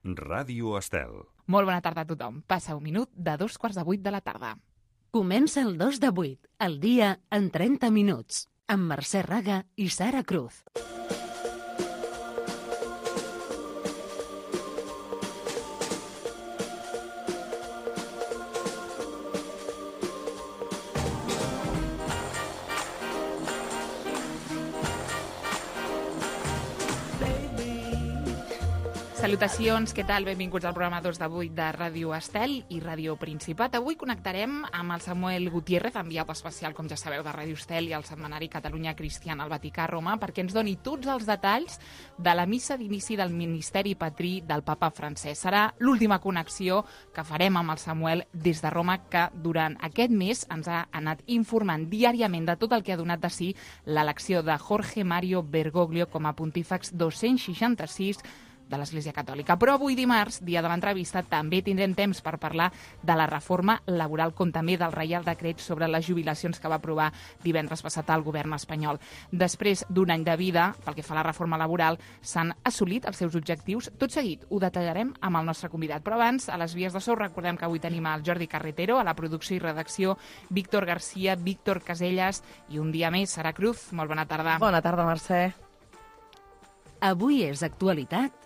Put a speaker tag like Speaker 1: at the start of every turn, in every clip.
Speaker 1: Ràdio Estel.
Speaker 2: Molt bona tarda a tothom. Passa un minut de 7:45 de la tarda.
Speaker 3: Comença el 2 de 8, el dia en 30 minuts, amb Mercè Raga i Sara Cruz.
Speaker 2: Salutacions, què tal? Benvinguts al programa 2 de 8 de Ràdio Estel i Ràdio Principat. Avui connectarem amb el Samuel Gutiérrez, enviat especial, com ja sabeu, de Ràdio Estel i el setmanari Catalunya Cristiana al Vaticà a Roma, perquè ens doni tots els detalls de la missa d'inici del ministeri patrí del papa Francesc. Serà l'última connexió que farem amb el Samuel des de Roma, que durant aquest mes ens ha anat informant diàriament de tot el que ha donat de si l'elecció de Jorge Mario Bergoglio com a pontífex 266 de l'Església Catòlica. Però avui dimarts, dia de l'entrevista, també tindrem temps per parlar de la reforma laboral, com també del Reial Decret sobre les jubilacions que va aprovar divendres passat el govern espanyol. Després d'un any de vida, pel que fa a la reforma laboral, s'han assolit els seus objectius. Tot seguit ho detallarem amb el nostre convidat. Però abans, a les vies de so, recordem que avui tenim el Jordi Carretero, a la producció i redacció, Víctor Garcia, Víctor Casellas i un dia més, Sara Cruz. Molt bona tarda.
Speaker 4: Bona tarda, Mercè.
Speaker 3: Avui és actualitat.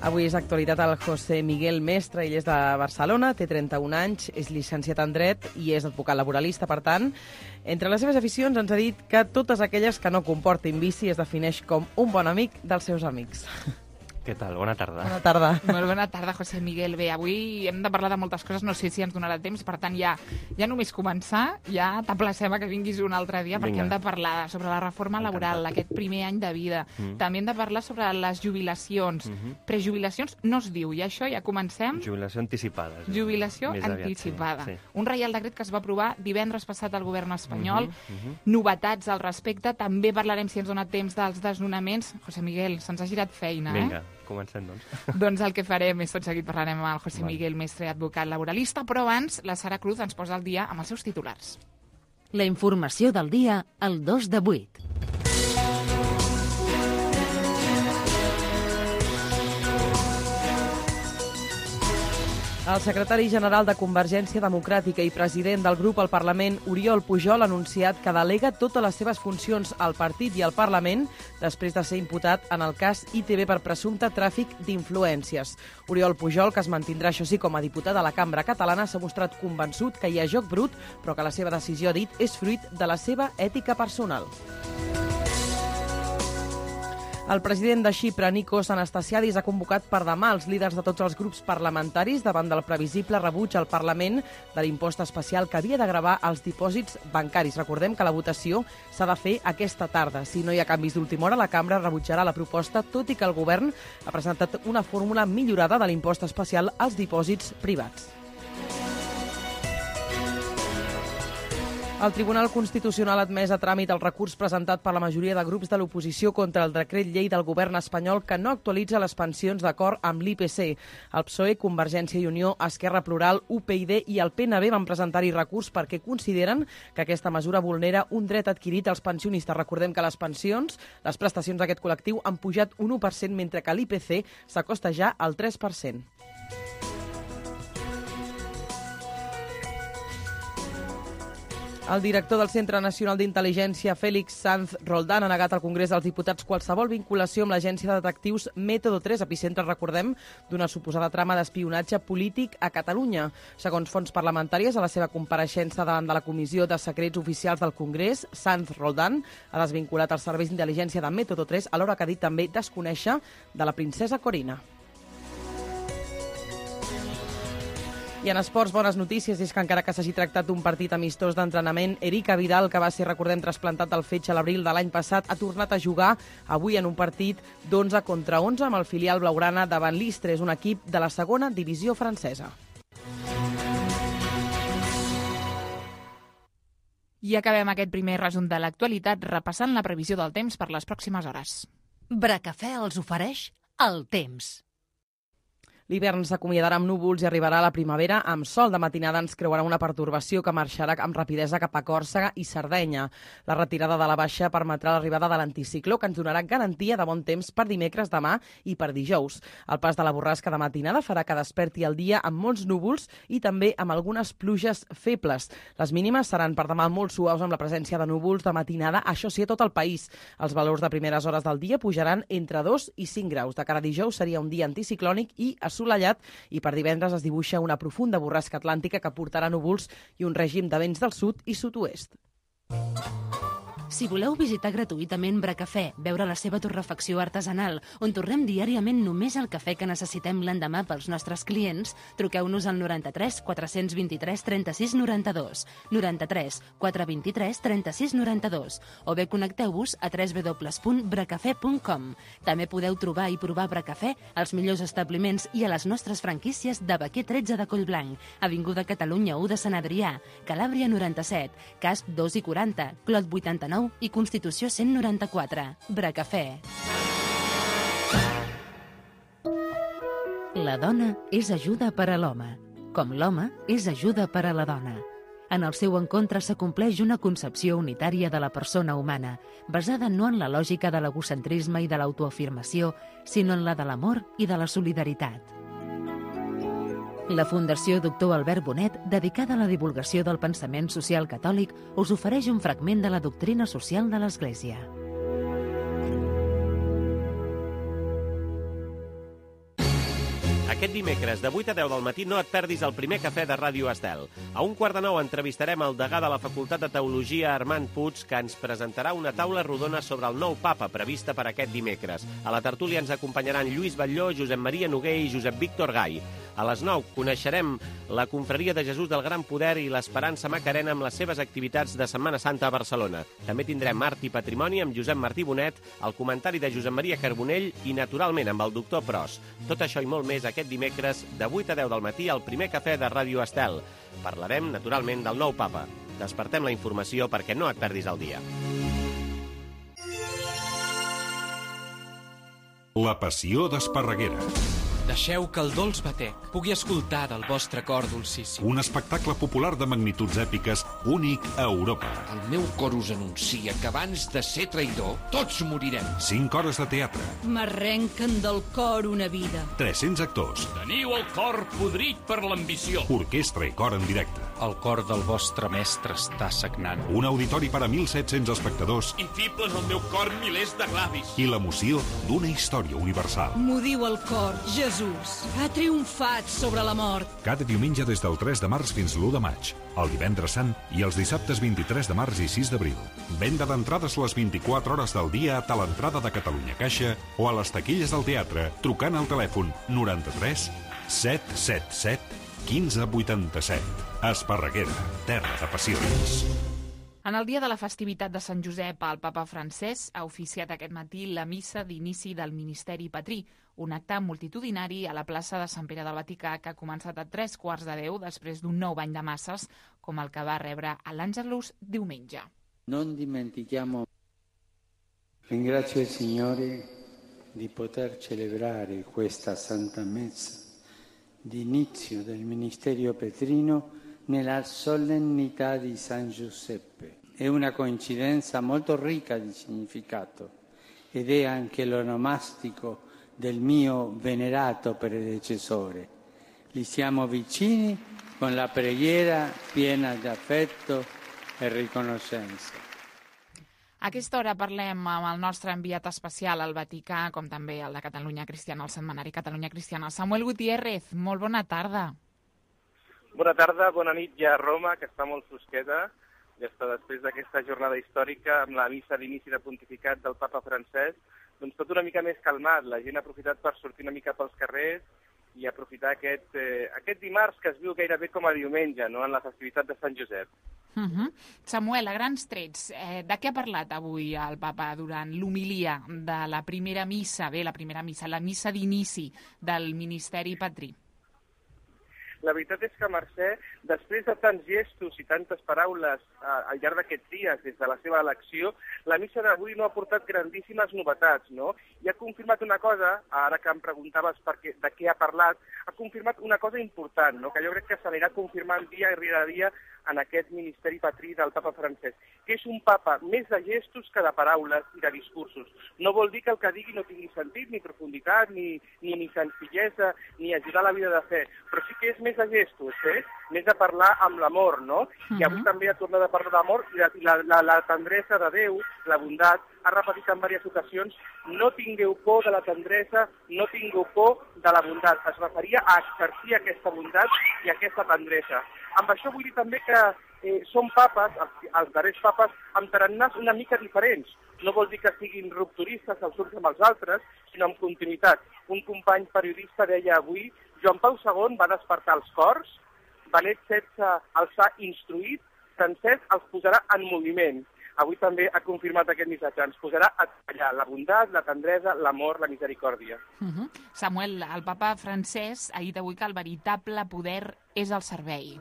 Speaker 4: Avui és actualitat el José Miguel Mestre, ell és de Barcelona, té 31 anys, és llicenciat en dret i és advocat laboralista, per tant. Entre les seves aficions ens ha dit que totes aquelles que no comportin vici es defineix com un bon amic dels seus amics.
Speaker 5: Què tal? Bona tarda.
Speaker 4: Bona tarda.
Speaker 2: Molt bona tarda, José Miguel. Bé, avui hem de parlar de moltes coses, no sé si ens donarà temps, per tant, ja només començar, ja t'aplacem a que vinguis un altre dia, perquè hem de parlar sobre la reforma laboral, aquest primer any de vida. També hem de parlar sobre les jubilacions. Prejubilacions no es diu, i això ja comencem.
Speaker 5: Jubilació anticipada.
Speaker 2: Jubilació anticipada. Sí. Un reial decret que es va aprovar divendres passat al govern espanyol. Novetats al respecte. També parlarem, si ens dona temps, dels desnonaments. José Miguel, se'ns ha girat feina,
Speaker 5: Vinga. Comencem, doncs.
Speaker 2: Doncs el que farem és tot seguit parlarem amb el José Miguel Mestre, advocat laboralista, però abans la Sara Cruz ens posa al dia amb els seus titulars.
Speaker 3: La informació del dia al 2 de 8.
Speaker 4: El secretari general de Convergència Democràtica i president del grup al Parlament, Oriol Pujol, ha anunciat que delega totes les seves funcions al partit i al Parlament després de ser imputat en el cas ITV per presumpte tràfic d'influències. Oriol Pujol, que es mantindrà, això sí, com a diputat a la Cambra Catalana, s'ha mostrat convençut que hi ha joc brut, però que la seva decisió, ha dit, és fruit de la seva ètica personal. El president de Xipre, Nikos Anastasiadis, ha convocat per demà els líders de tots els grups parlamentaris davant del previsible rebuig al Parlament de l'impost especial que havia de gravar els dipòsits bancaris. Recordem que la votació s'ha de fer aquesta tarda. Si no hi ha canvis d'última hora, la Cambra rebutjarà la proposta, tot i que el govern ha presentat una fórmula millorada de l'impost especial als dipòsits privats. El Tribunal Constitucional ha admès a tràmit el recurs presentat per la majoria de grups de l'oposició contra el decret llei del govern espanyol que no actualitza les pensions d'acord amb l'IPC. El PSOE, Convergència i Unió, Esquerra Plural, UPyD i el PNB van presentar-hi recurs perquè consideren que aquesta mesura vulnera un dret adquirit als pensionistes. Recordem que les pensions, les prestacions d'aquest col·lectiu han pujat un 1%, mentre que l'IPC s'acosta ja al 3%. El director del Centre Nacional d'Intel·ligència, Félix Sanz Roldán, ha negat al Congrés dels Diputats qualsevol vinculació amb l'agència de detectius Método 3, epicentre, recordem, d'una suposada trama d'espionatge polític a Catalunya. Segons fonts parlamentàries, a la seva compareixença davant de la Comissió de Secrets Oficials del Congrés, Sanz Roldán ha desvinculat els serveis d'intel·ligència de Método 3, alhora que ha dit també desconèixer de la princesa Corina. I en esports, bones notícies, és que encara que s'hagi tractat d'un partit amistós d'entrenament, Erika Vidal, que va ser, recordem, trasplantat del fetge a l'abril de l'any passat, ha tornat a jugar avui en un partit d'11 contra 11 amb el filial blaugrana davant l'Istres, un equip de la segona divisió francesa.
Speaker 2: I acabem aquest primer resum de l'actualitat repassant la previsió del temps per les pròximes hores.
Speaker 3: Bracafè els ofereix el temps.
Speaker 4: L'hivern s'acomiadarà amb núvols i arribarà a la primavera amb sol. De matinada ens creuarà una pertorbació que marxarà amb rapidesa cap a Còrsega i Sardenya. La retirada de la baixa permetrà l'arribada de l'anticicló, que ens donarà garantia de bon temps per dimecres, demà i per dijous. El pas de la borrasca de matinada farà que desperti el dia amb molts núvols i també amb algunes pluges febles. Les mínimes seran per demà molt suaus amb la presència de núvols de matinada, això sí, a tot el país. Els valors de primeres hores del dia pujaran entre 2 i 5 graus. De cara a dijous seria un dia anticiclònic i assolellat, i per divendres es dibuixa una profunda borrasca atlàntica que portarà núvols i un règim de vents del sud i sud-oest.
Speaker 3: Si voleu visitar gratuïtament Bracafè, veure la seva torrefacció artesanal, on torrem diàriament només el cafè que necessitem l'endemà pels nostres clients, truqueu-nos al 93 423 36 92, 93 423 36 92, o bé connecteu-vos a www.bracafè.com. També podeu trobar i provar Bracafè als millors establiments i a les nostres franquícies de Baquer 13 de Collblanc, Avinguda Catalunya 1 de Sant Adrià, Calàbria 97, Casp 2 i 40, Clot 89 i Constitució 194. Bracafè. La dona és ajuda per a l'home, com l'home és ajuda per a la dona. En el seu encontre s'acompleix una concepció unitària de la persona humana, basada no en la lògica de l'egocentrisme i de l'autoafirmació, sinó en la de l'amor i de la solidaritat. La Fundació Doctor Albert Bonet, dedicada a la divulgació del pensament social catòlic, us ofereix un fragment de la doctrina social de l'Església.
Speaker 1: Aquest dimecres, de 8 a 10 del matí, no et perdis el primer cafè de Ràdio Estel. A 8:15 entrevistarem el degà de la Facultat de Teologia, Armand Puig, que ens presentarà una taula rodona sobre el nou papa prevista per aquest dimecres. A la tertúlia ens acompanyaran Lluís Batlló, Josep Maria Noguer i Josep Víctor Gai. A les 9 coneixerem la Confraria de Jesús del Gran Poder i l'Esperança Macarena amb les seves activitats de Setmana Santa a Barcelona. També tindrem Art i Patrimoni amb Josep Martí Bonet, el comentari de Josep Maria Carbonell i, naturalment, amb el doctor Pros. Tot això i molt més aquest dimecres de 8 a 10 del matí al primer cafè de Ràdio Estel. Parlarem, naturalment, del nou papa. Despertem la informació perquè no et perdis el dia.
Speaker 6: La passió d'Esparreguera.
Speaker 7: Deixeu que el dolç batec pugui escoltar del vostre cor dolcíssim.
Speaker 6: Un espectacle popular de magnituds èpiques únic a Europa.
Speaker 8: El meu cor us anuncia que abans de ser traïdor, tots morirem.
Speaker 6: 5 hores de teatre.
Speaker 9: M'arrenquen del cor una vida.
Speaker 6: 300 actors.
Speaker 10: Teniu el cor podrit per l'ambició.
Speaker 6: Orquestra i cor en directe.
Speaker 10: El cor del vostre mestre està sagnant.
Speaker 6: Un auditori per a 1.700 espectadors.
Speaker 10: I fiblen al meu cor milers de glavis.
Speaker 6: I l'emoció d'una història universal.
Speaker 9: M'ho diu el cor, Jesús. Ha triomfat sobre la mort.
Speaker 6: Cada diumenge des del 3 de març fins l'1 de maig, el divendres sant i els dissabtes 23 de març i 6 d'abril. Venda d'entrades les 24 hores del dia a l'entrada de Catalunya Caixa o a les taquilles del teatre trucant al telèfon 93 777 1587. Esparreguera, terra de passions.
Speaker 2: En el dia de la festivitat de Sant Josep, el papa Francesc ha oficiat aquest matí la missa d'inici del Ministeri Patrí, un acte multitudinari a la plaça de Sant Pere del Vaticà que ha començat a 9:45 després d'un nou bany de masses, com el que va rebre a l'Àngelus diumenge.
Speaker 11: Non dimentichiamo. Ringrazio il Signore di poter celebrare questa Santa Messa di inizio del Ministerio Petrino nella solennità di San Giuseppe. È una coincidenza molto ricca di significato ed è anche l'onomastico del mio venerato predecessore. Gli siamo vicini con la preghiera piena di affetto e riconoscenza.
Speaker 2: A aquesta hora parlem amb el nostre enviat especial al Vaticà, com també el de Catalunya Cristiana, el setmanari Catalunya Cristiana, Samuel Gutiérrez. Molt bona tarda.
Speaker 12: Bona tarda, bona nit ja a Roma, que està molt fosqueta, ja està després d'aquesta jornada històrica amb la missa d'inici de pontificat del papa Francesc, doncs tot una mica més calmat, la gent ha aprofitat per sortir una mica pels carrers i aprofitar aquest dimarts que es viu gairebé com a diumenge, no?, en la festivitat de Sant Josep.
Speaker 2: Samuel, a grans trets, de què ha parlat avui el papa durant l'homilia de la primera missa, la missa d'inici del Ministeri Patrí?
Speaker 12: La veritat és que Mercè, després de tants gestos i tantes paraules al llarg d'aquests dies, des de la seva elecció, la missa d'avui no ha portat grandíssimes novetats, no? I ha confirmat una cosa, ara que em preguntaves de què ha parlat, ha confirmat una cosa important, no? Que jo crec que s'anirà confirmant dia rere dia en aquest ministeri patrí del papa Francesc, que és un papa més de gestos que de paraules i de discursos. No vol dir que el que digui no tingui sentit, ni profunditat, ni senzillesa, ni ajudar a la vida de fe, però sí que és més de gestos, més de parlar amb l'amor, no? I avui també ha tornat a parlar d'amor i la tendresa de Déu, la bondat, ha repetit en diverses ocasions, no tingueu por de la tendresa, no tingueu por de la bondat. Es referia a exercir aquesta bondat i aquesta tendresa. Amb això vull dir també que són papes, els darrers papes, amb tarannàs una mica diferents. No vol dir que siguin rupturistes els uns amb els altres, sinó amb continuïtat. Un company periodista deia avui, Joan Pau II va despertar els cors, Benet XVI els ha instruït, Francesc els posarà en moviment. Avui també ha confirmat aquest missatge, ens posarà a treballar la bondat, la tendresa, l'amor, la misericòrdia.
Speaker 2: Samuel, el papa Francesc ha dit avui que el veritable poder és el servei.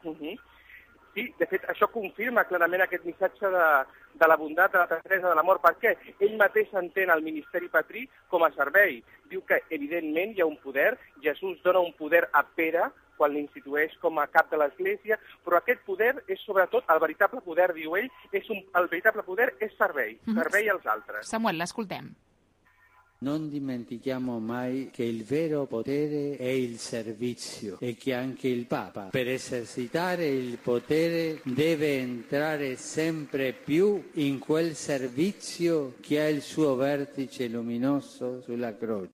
Speaker 12: Sí, de fet, això confirma clarament aquest missatge de la bondat, de la tendresa, de l'amor. Per què? Ell mateix entén el ministeri patrí com a servei. Diu que, evidentment, hi ha un poder. Jesús dona un poder a Pere quan l'institueix com a cap de l'Església, però aquest poder és sobretot, el veritable poder, diu ell, el veritable poder és servei, servei als altres.
Speaker 2: Samuel, l'escoltem.
Speaker 11: Non dimentichiamo mai che il vero potere è il servizio e che anche il Papa, per esercitare il potere, deve entrare sempre più in quel servizio che ha il suo vertice luminoso sulla croce.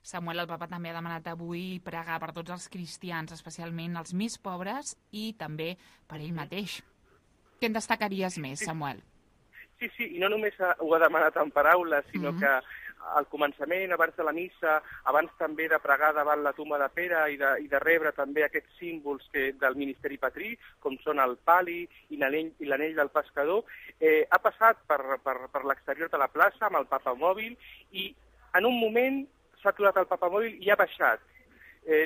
Speaker 2: Samuel, el papa també ha demanat avui pregar per tots els cristians, especialment els més pobres i també per ell mateix. Què en destacaries més, Samuel?
Speaker 12: Sí, i no només ho ha demanat en paraules, sinó que al començament, abans de la missa, abans també de pregar davant la tumba de Pere i de rebre també aquests símbols del ministeri patrí, com són el pali i l'anell del pescador, ha passat per l'exterior de la plaça amb el papamòbil i en un moment s'ha aturat el papamòbil i ha baixat.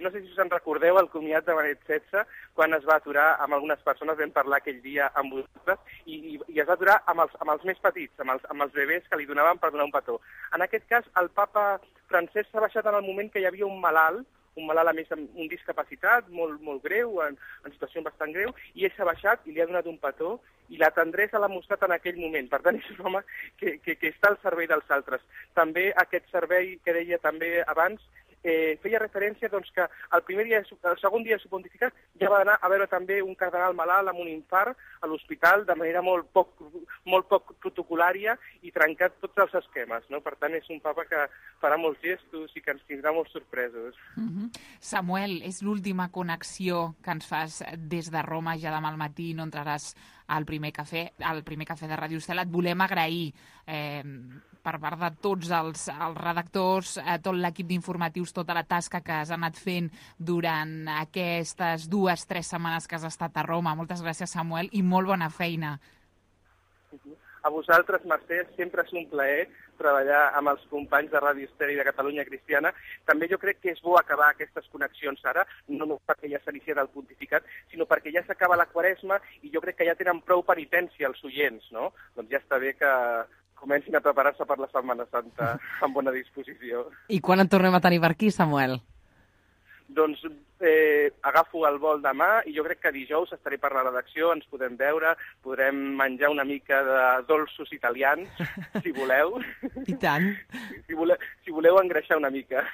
Speaker 12: No sé si us en recordeu el comiat de Benet XVI, quan es va aturar amb algunes persones, vam parlar aquell dia amb vosaltres, i es va aturar amb els més petits, amb els bebès que li donaven per donar un petó. En aquest cas, el papa Francesc s'ha baixat en el moment que hi havia un malalt a més amb un discapacitat molt greu, en situació bastant greu, i ell s'ha baixat i li ha donat un petó, i la tendresa l'ha mostrat en aquell moment. Per tant, és un home que està al servei dels altres. També aquest servei que deia també abans, feia referència doncs, que el segon dia de su pontificat ja va anar a veure també un cardenal malalt amb un infart a l'hospital de manera molt poc protocolària i trencat tots els esquemes, no? Per tant, és un papa que farà molts gestos i que ens tindrà molt sorpresos.
Speaker 2: Samuel, és l'última connexió que ens fas des de Roma, ja demà al matí no entraràs al primer cafè de Ràdio Estel. Et volem agrair per part de tots els redactors, tot l'equip d'informatius, tota la tasca que has anat fent durant aquestes 2-3 setmanes que has estat a Roma. Moltes gràcies, Samuel, i molt bona feina.
Speaker 12: A vosaltres, Mercè, sempre és un plaer treballar amb els companys de Ràdio Estel i de Catalunya Cristiana. També jo crec que és bo acabar aquestes connexions ara, no només perquè ja s'inicia del pontificat, sinó perquè ja s'acaba la Quaresma i jo crec que ja tenen prou penitència els oients, no? Doncs ja està bé que comencin a preparar-se per la Setmana Santa amb bona disposició.
Speaker 4: I quan en tornem a tenir per aquí, Samuel?
Speaker 12: Doncs agafo el vol demà i jo crec que dijous estaré per la redacció, ens podem veure, podrem menjar una mica de dolços italians, si voleu.
Speaker 4: I tant.
Speaker 12: Si voleu engreixar una mica.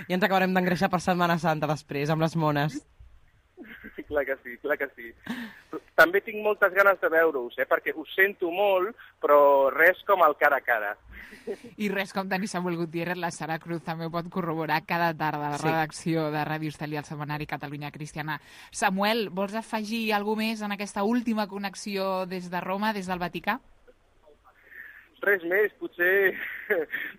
Speaker 4: I ens acabarem d'engreixar per Setmana Santa després, amb les mones.
Speaker 12: Clar que sí. També tinc moltes ganes de veure-us, perquè us sento molt, però res com el cara a cara.
Speaker 2: I res com tenir Samuel Gutiérrez, la Sara Cruz també ho pot corroborar cada tarda a la redacció de Ràdio Estel i el setmanari Catalunya Cristiana. Samuel, vols afegir alguna més en aquesta última connexió des de Roma, des del Vaticà?
Speaker 12: Res més, potser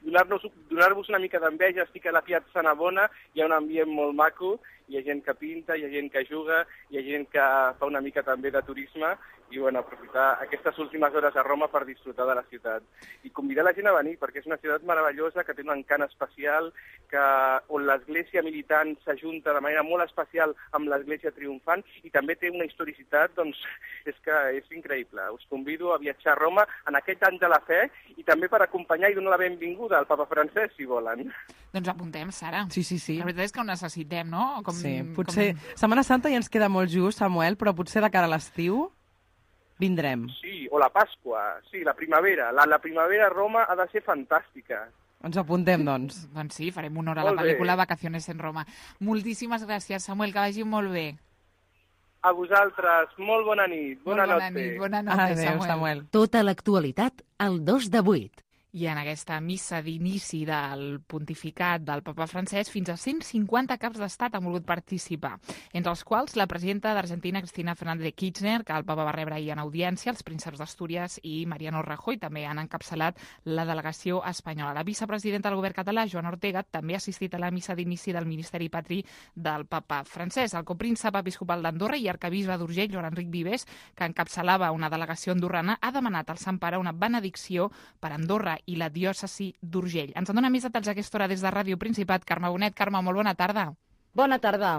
Speaker 12: donar-vos una mica d'enveja. Estic a la Piazza Navona, hi ha un ambient molt maco, hi ha gent que pinta, hi ha gent que juga, hi ha gent que fa una mica també de turisme, i aprofitar aquestes últimes hores a Roma per disfrutar de la ciutat. I convidar la gent a venir, perquè és una ciutat meravellosa, que té un encant especial, on l'església militant s'ajunta de manera molt especial amb l'església triomfant, i també té una historicitat, doncs, és increïble. Us convido a viatjar a Roma en aquest any de la fe, i també per acompanyar i donar la benvinguda al papa Francesc, si volen.
Speaker 2: Doncs apuntem, Sara.
Speaker 4: Sí.
Speaker 2: La veritat és que ho necessitem, no?
Speaker 4: Potser Setmana Santa ja ens queda molt just, Samuel, però potser de cara a l'estiu vindrem.
Speaker 12: Sí, o la Pasqua, sí, la primavera. La primavera a Roma ha de ser fantàstica.
Speaker 4: Ens apuntem, doncs.
Speaker 2: Doncs sí, farem honor a la pel·lícula Vacaciones en Roma. Moltíssimes gràcies, Samuel, que vagi molt bé.
Speaker 12: A vosaltres, molt bona nit. Bona
Speaker 2: nit, Samuel.
Speaker 3: Tota l'actualitat al 2 de 8.
Speaker 2: I en aquesta missa d'inici del pontificat del papa Francesc, fins a 150 caps d'estat han volgut participar, entre els quals la presidenta d'Argentina, Cristina Fernández de Kirchner, que el papa va rebre ahir en audiència, els prínceps d'Astúries i Mariano Rajoy també han encapçalat la delegació espanyola. La vicepresidenta del govern català, Joana Ortega, també ha assistit a la missa d'inici del Ministeri Patri del papa Francesc. El copríncep episcopal d'Andorra i arcabisbe d'Urgell, Joan Enric Vives, que encapçalava una delegació andorrana, ha demanat al Sant Pare una benedicció per Andorra i la diòcesi d'Urgell. Ens en dona més detalls a aquesta hora des de Ràdio Principat. Carme Bonet. Carme, molt bona tarda.
Speaker 13: Bona tarda.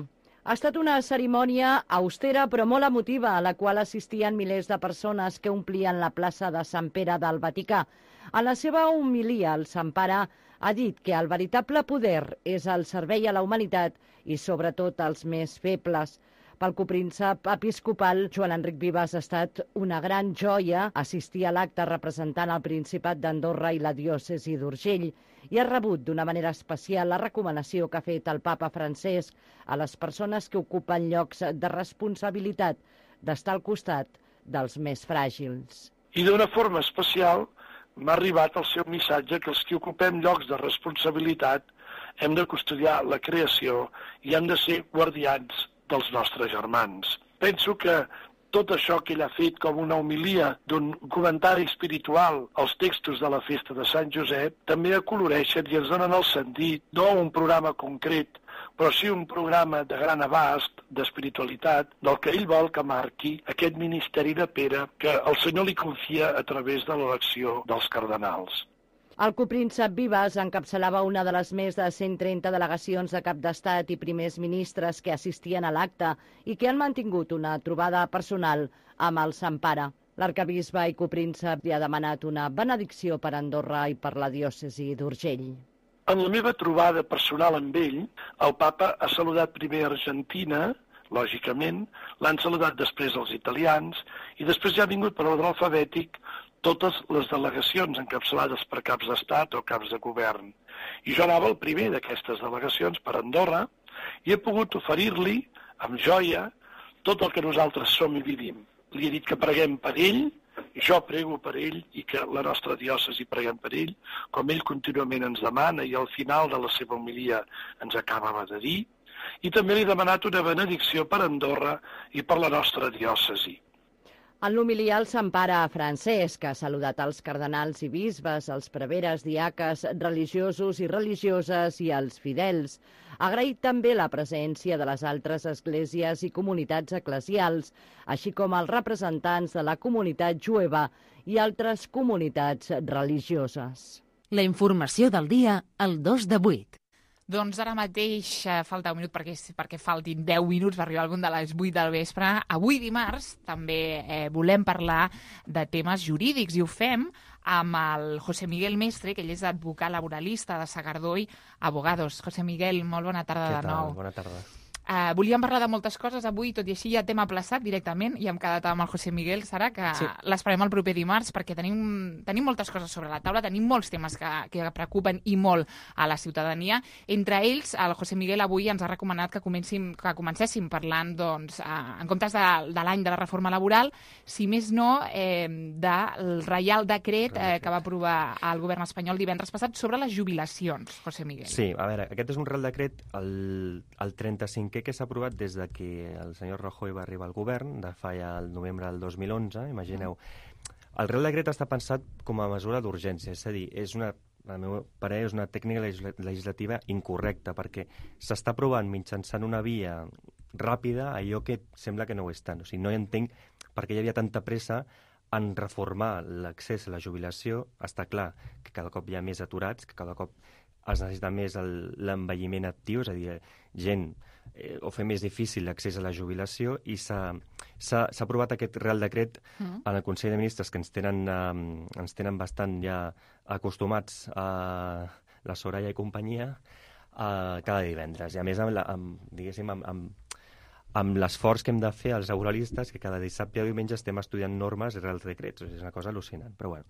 Speaker 13: Ha estat una cerimònia austera però molt emotiva, a la qual assistien milers de persones que omplien la plaça de Sant Pere del Vaticà. En la seva homilia, el Sant Pare ha dit que el veritable poder és el servei a la humanitat i sobretot als més febles. Pel copríncep episcopal, Joan Enric Vives, ha estat una gran joia assistir a l'acte representant el Principat d'Andorra i la diòcesi d'Urgell i ha rebut d'una manera especial la recomanació que ha fet el papa Francesc a les persones que ocupen llocs de responsabilitat d'estar al costat dels més fràgils.
Speaker 14: I d'una forma especial m'ha arribat el seu missatge que els que ocupem llocs de responsabilitat hem de custodiar la creació i hem de ser guardians dels nostres germans. Penso que tot això que ell ha fet com una homilia d'un comentari espiritual als textos de la festa de Sant Josep també acoloreixen i ens donen el sentit, no un programa concret, però sí un programa de gran abast, d'espiritualitat, del que ell vol que marqui aquest ministeri de Pere que el Senyor li confia a través de l'elecció dels cardenals.
Speaker 13: El copríncep Vives encapçalava una de les més de 130 delegacions de cap d'estat i primers ministres que assistien a l'acte i que han mantingut una trobada personal amb el Sant Pare. L'arcabisbe i copríncep li ha demanat una benedicció per Andorra i per la diòcesi d'Urgell.
Speaker 14: En la meva trobada personal amb ell, el papa ha saludat primer Argentina, lògicament, l'han saludat després els italians i després ja ha vingut per ordre alfabètic totes les delegacions encapçalades per caps d'estat o caps de govern. I jo anava el primer d'aquestes delegacions per Andorra i he pogut oferir-li, amb joia, tot el que nosaltres som i vivim. Li he dit que preguem per ell, jo prego per ell i que la nostra diòcesi preguem per ell, com ell contínuament ens demana i al final de la seva homilia ens acabava de dir, i també li he demanat una benedicció per Andorra i per la nostra diòcesi.
Speaker 13: En l'homilia, el Sant Pare Francesc ha saludat els cardenals i bisbes, els preveres, diaques, religiosos i religioses i els fidels. Ha agraït també la presència de les altres esglésies i comunitats eclesials, així com els representants de la comunitat jueva i altres comunitats religioses.
Speaker 3: La informació del dia al 2 de 8.
Speaker 2: Doncs ara mateix falta un minut perquè faltin 10 minuts per arribar al punt de les 8 del vespre. Avui dimarts també volem parlar de temes jurídics i ho fem amb el José Miguel Mestre, que ell és advocat laboralista de Sagardoi Abogados. José Miguel, molt bona tarda de nou.
Speaker 5: Bona tarda.
Speaker 2: Volíem parlar de moltes coses avui, tot i així ja t'hem aplaçat directament i hem quedat amb el José Miguel, Sara, que l'esperem el proper dimarts perquè tenim moltes coses sobre la taula, tenim molts temes que preocupen i molt a la ciutadania. Entre ells, el José Miguel avui ens ha recomanat que comencéssim parlant, doncs, en comptes de l'any de la reforma laboral, si més no, del Reial Decret que va aprovar el govern espanyol divendres passat sobre les jubilacions, José Miguel.
Speaker 5: Sí, a veure, aquest és un Reial Decret, el 35 que s'ha aprovat des de que el senyor Rajoy va arribar al govern, de fa ja el novembre del 2011, imagineu. El Reial Decret està pensat com a mesura d'urgència, és a dir, és una al meu parer, és una tècnica legislativa incorrecta, perquè s'està aprovant mitjançant una via ràpida allò que sembla que no ho és tant. O sigui, no entenc per què hi havia tanta pressa en reformar l'accés a la jubilació. Està clar que cada cop hi ha més aturats, que cada cop es necessita més l'envelliment actiu, és a dir, gent o fer més difícil l'accés a la jubilació, i s'ha aprovat aquest Real Decret en el Consell de Ministres, que ens tenen bastant ja acostumats a la Soraya i companyia cada divendres. I a més, amb l'esforç que hem de fer els auralistes, que cada dissabte i diumenge estem estudiant normes i Reals Decrets. És una cosa al·lucinant, però bueno.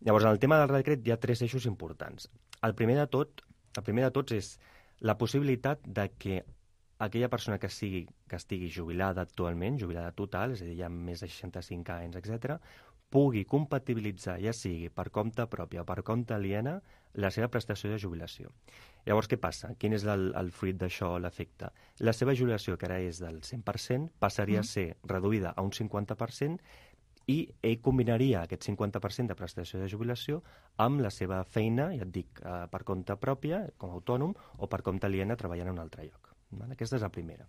Speaker 5: Llavors, en el tema del Real Decret hi ha 3 eixos importants. El primer de tots és la possibilitat de que aquella persona que estigui jubilada actualment, jubilada total, és a dir, ja amb més de 65 anys, etc., pugui compatibilitzar, ja sigui per compte propi o per compte aliena, la seva prestació de jubilació. Llavors, què passa? Quin és el fruit d'això, l'efecte? La seva jubilació, que ara és del 100%, passaria a ser reduïda a un 50%, i ell combinaria aquest 50% de prestació de jubilació amb la seva feina, ja et dic, per compte pròpia, com a autònom, o per compte aliena treballant en un altre lloc. Aquesta és la primera.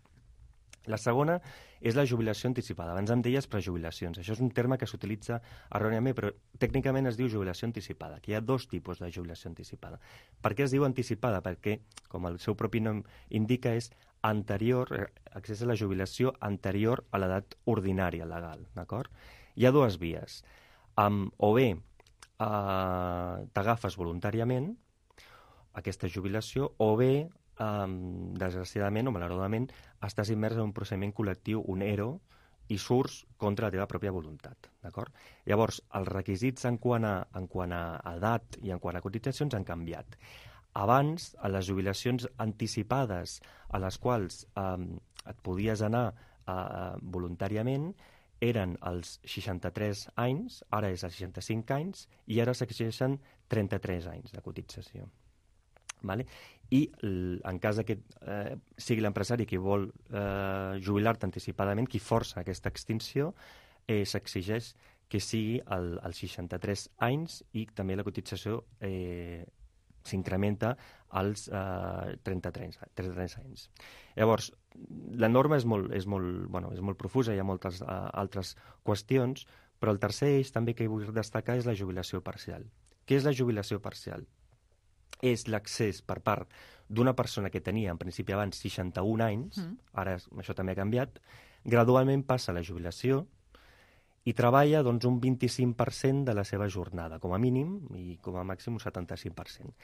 Speaker 5: La segona és la jubilació anticipada. Abans em deies prejubilacions. Això és un terme que s'utilitza erròniament, però tècnicament es diu jubilació anticipada, que hi ha 2 tipus de jubilació anticipada. Per què es diu anticipada? Perquè, com el seu propi nom indica, és accés a la jubilació anterior a l'edat ordinària legal, d'acord? Hi ha 2 vies. O bé t'agafes voluntàriament aquesta jubilació, o bé, desgraciadament o malauradament, estàs immers en un procediment col·lectiu, un ERO, i surts contra la teva pròpia voluntat. D'acord? Llavors, els requisits en quant a edat i en quant a cotitzacions han canviat. Abans, a les jubilacions anticipades a les quals et podies anar voluntàriament, eren els 63 anys, ara és els 65 anys, i ara s'exigeixen 33 anys de cotització. Vale? I en cas que sigui l'empresari qui vol jubilar-te anticipadament, qui força aquesta extinció, s'exigeix que sigui als 63 anys, i també la cotització s'incrementa als 33 anys. Llavors, la norma és molt profusa, hi ha moltes altres qüestions, però el tercer eix també que vull destacar és la jubilació parcial. Què és la jubilació parcial? És l'accés per part d'una persona que tenia en principi abans 61 anys, ara això també ha canviat, gradualment passa a la jubilació i treballa un 25% de la seva jornada, com a mínim, i com a màxim un 75%.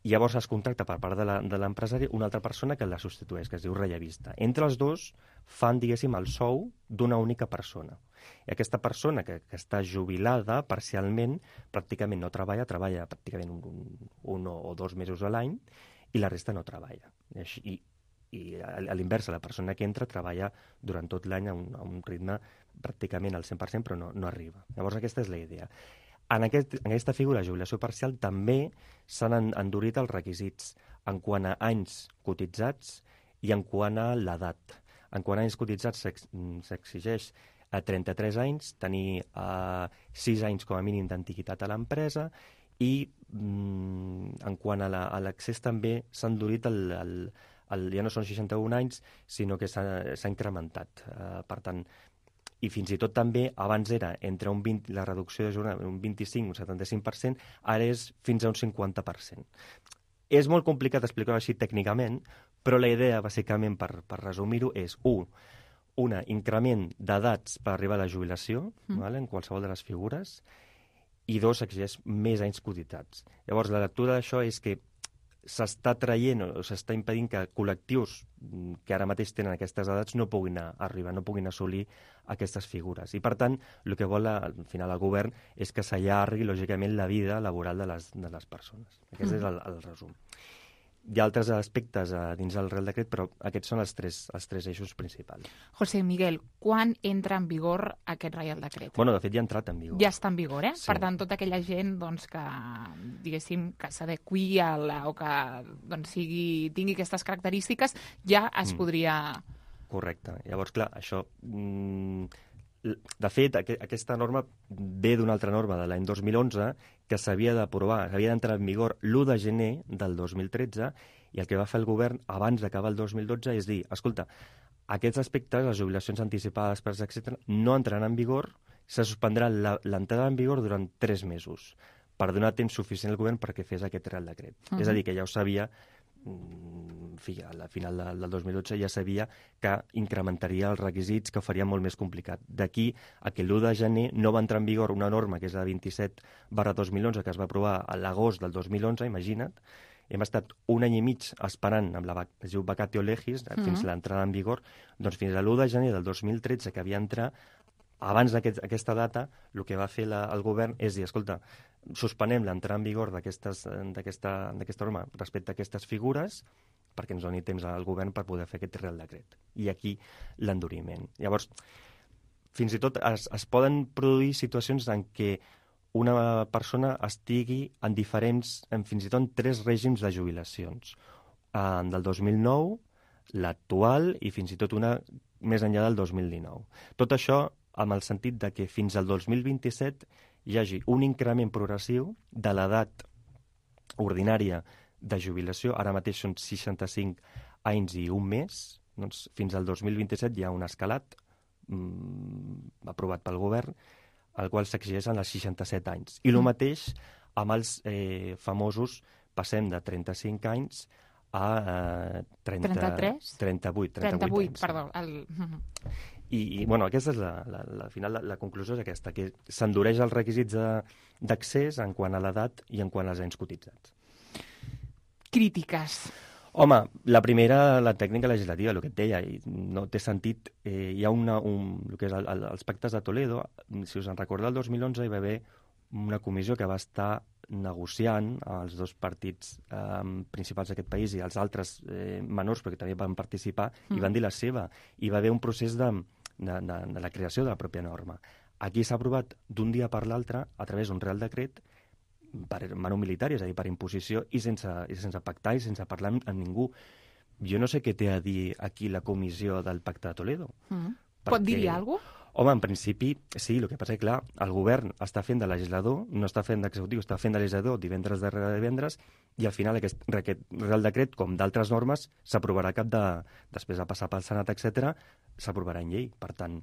Speaker 5: I llavors es contracta per part de l'empresari una altra persona que la substitueix, que es diu rellevista. Entre els dos fan, diguéssim, el sou d'una única persona. I aquesta persona que està jubilada parcialment, pràcticament no treballa pràcticament un o 2 mesos a l'any, i la resta no treballa. I a l'inversa, la persona que entra treballa durant tot l'any a un ritme pràcticament al 100%, però no arriba. Llavors aquesta és la idea. En aquesta figura de jubilació parcial també s'han endurit els requisits en quant a anys cotitzats i en quant a l'edat. En quant a anys cotitzats s'exigeix a 33 anys, tenir 6 anys com a mínim d'antiguitat a l'empresa, i en quant a l'accés també s'ha endurit ja no són 61 anys, sinó que s'ha incrementat. Per tant, i fins i tot també, abans era entre la reducció de jornada un 25 o un 75%, ara és fins a un 50%. És molt complicat explicar-ho així tècnicament, però la idea, bàsicament, per resumir-ho, és un increment d'edats per arribar a la jubilació, en qualsevol de les figures, i 2, exigeix més anys cotitzats. Llavors, la lectura d'això és que s'està traient o s'està impedint que col·lectius que ara mateix tenen aquestes edats no puguin arribar, no puguin assolir aquestes figures. I, per tant, el que vol al final el govern és que s'allargui, lògicament, la vida laboral de les persones. Aquest és el resum. Hi ha altres aspectes dins del Real Decret, però aquests són els tres eixos principals.
Speaker 2: José Miguel, quan entra en vigor aquest Real Decret?
Speaker 5: Bueno, de fet, ja ha entrat en vigor.
Speaker 2: Ja està en vigor, eh?
Speaker 5: Sí.
Speaker 2: Per tant, tota aquella gent que, diguéssim, que s'adequi o que tingui aquestes característiques, ja es podria...
Speaker 5: Correcte. Llavors, clar, això... De fet, aquesta norma ve d'una altra norma de l'any 2011 que s'havia d'aprovar, s'havia d'entrar en vigor l'1 de gener del 2013, i el que va fer el govern abans d'acabar el 2012 és dir, escolta, aquests aspectes, les jubilacions anticipades, etc., no entraran en vigor, se suspendrà l'entrada en vigor durant 3 mesos, per donar temps suficient al govern perquè fes aquest Real Decret. És a dir, que ja ho sabia, a la final del 2012 ja sabia que incrementaria els requisits, que ho faria molt més complicat. D'aquí a que l'1 de gener no va entrar en vigor una norma que és la 27/2011 que es va aprovar a l'agost del 2011, imagina't. Hem estat un any i mig esperant amb es diu vacatio legis, fins l'entrada en vigor, doncs fins a l'1 de gener del 2013 que havia d'entrar. Abans d'aquesta data, el que va fer el govern és dir, escolta, suspenem l'entrada en vigor d'aquesta norma respecte a aquestes figures perquè ens doni temps al govern per poder fer aquest Real Decret. I aquí l'enduriment. Llavors, fins i tot es poden produir situacions en què una persona estigui en fins i tot 3 règims de jubilacions. Del 2009, l'actual i fins i tot una més enllà del 2019. Tot això amb el sentit de que fins al 2027 hi hagi un increment progressiu de l'edat ordinària de jubilació. Ara mateix són 65 anys i un mes. Doncs fins al 2027 hi ha un escalat aprovat pel govern, al qual s'exigeixen els 67 anys. I el mateix amb els famosos, passem de 35 anys a
Speaker 2: 33?
Speaker 5: 38 anys.
Speaker 2: Perdó.
Speaker 5: I bueno, aquesta és al final la conclusió és aquesta, que s'endureix els requisits d'accés en quant a l'edat i en quant als anys cotitzats.
Speaker 2: Crítiques.
Speaker 5: Home, la primera, la tècnica legislativa, el que et deia, no té sentit. Hi ha el que és els pactes de Toledo. Si us en recordeu, el 2011 hi va haver una comissió que va estar negociant els 2 partits principals d'aquest país i els altres menors, perquè també van participar, i van dir la seva. I va haver un procés de la creació de la pròpia norma. Aquí s'ha aprovat d'un dia per l'altre, a través d'un Real Decret, per mano militar, és a dir, per imposició, i sense pactar i sense parlar amb ningú. Jo no sé què té a dir aquí la comissió del Pacte de Toledo.
Speaker 2: Pot dir-hi alguna cosa?
Speaker 5: Home, en principi, sí, el que passa és que, clar, el govern està fent de legislador, no està fent d'executiu, està fent de legislador divendres darrere divendres, i al final aquest Real Decret, com d'altres normes, s'aprovarà després de passar pel Senat, etc., s'aprovarà en llei. Per tant,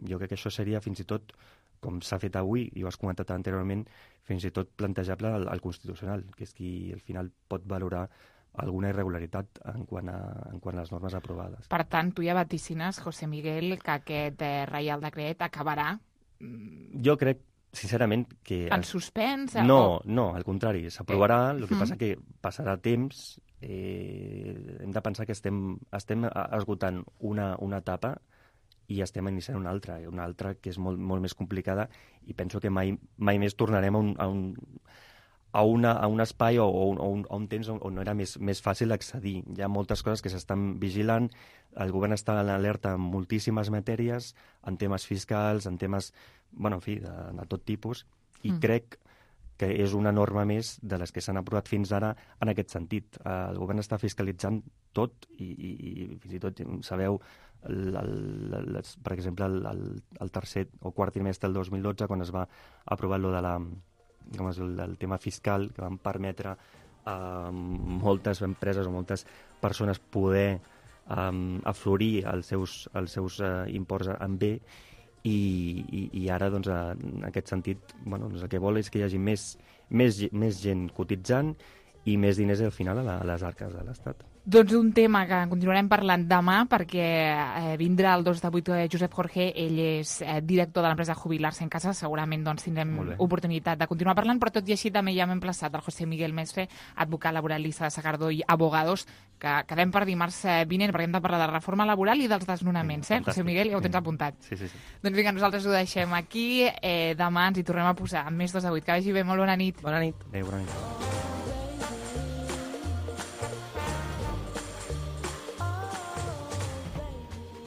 Speaker 5: jo crec que això seria fins i tot, com s'ha fet avui, i ho has comentat anteriorment, fins i tot plantejable al Constitucional, que és qui al final pot valorar alguna irregularitat en quant a les normes aprovades.
Speaker 2: Per tant, tu ja vaticines, José Miguel, que aquest Reial Decret acabarà...
Speaker 5: Jo crec, sincerament, que...
Speaker 2: En suspens?
Speaker 5: No, al contrari, s'aprovarà, el que passa que passarà temps, hem de pensar que estem esgotant una etapa i estem iniciant una altra que és molt, molt més complicada, i penso que mai més tornarem a un espai o un temps on era més fàcil accedir. Hi ha moltes coses que s'estan vigilant, el govern està en alerta en moltíssimes matèries, en temes fiscals, en temes, en fi, de tot tipus, i crec que és una norma més de les que s'han aprovat fins ara en aquest sentit. El govern està fiscalitzant tot i fins i tot, sabeu, per exemple, el tercer o quart trimestre del 2012, quan es va aprovar el tema fiscal, que van permetre a moltes empreses o moltes persones poder aflorir els seus imports en bé, i ara, doncs, en aquest sentit, el que vol és que hi hagi més gent cotitzant i més diners al final a les arques de l'Estat.
Speaker 2: Doncs un tema que continuarem parlant demà, perquè vindrà el 2 de 8 Josep Jorge, ell és director de l'empresa Jubilar-se en Casa, segurament tindrem oportunitat de continuar parlant, però tot i així també ja hem emplaçat el José Miguel Mestre, advocat laboralista de Sagardó i Abogados, que quedem per dimarts vinent, perquè hem de parlar de la reforma laboral i dels desnonaments, José Miguel, ja ho tens apuntat.
Speaker 5: Sí.
Speaker 2: Doncs vinga, nosaltres ho deixem aquí, demà ens hi tornem a posar amb més 2 a 8. Que vagi bé, molt bona nit.
Speaker 5: Bona nit. Adéu, bona nit.